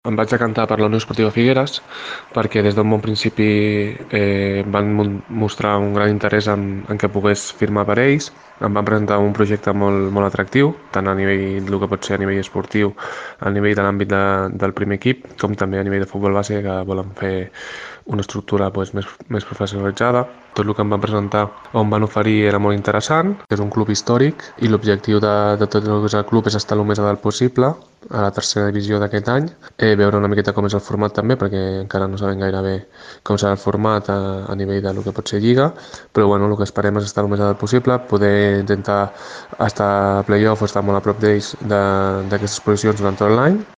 Em vaig decantar per la Unió Esportiva Figueres perquè des d'un bon principi van mostrar un gran interès en que pogués firmar per ells. Em van presentar un projecte molt atractiu, tant a nivell del que pot ser a nivell esportiu, a nivell de l'àmbit del primer equip, com també a nivell de futbol base, que volen fer una estructura més professionalitzada. Tot el que em van presentar o em van oferir era molt interessant, és un club històric i l'objectiu de tot el que és el club és estar el més a dalt possible a la tercera divisió d'aquest any, veure una miqueta com és el format també, perquè encara no sabem gaire bé com serà el format a nivell del que pot ser Lliga, però bueno, el que esperem és estar el més a dalt possible, poder intentar estar a playoff o estar molt a prop d'ells d'aquestes posicions durant tot l'any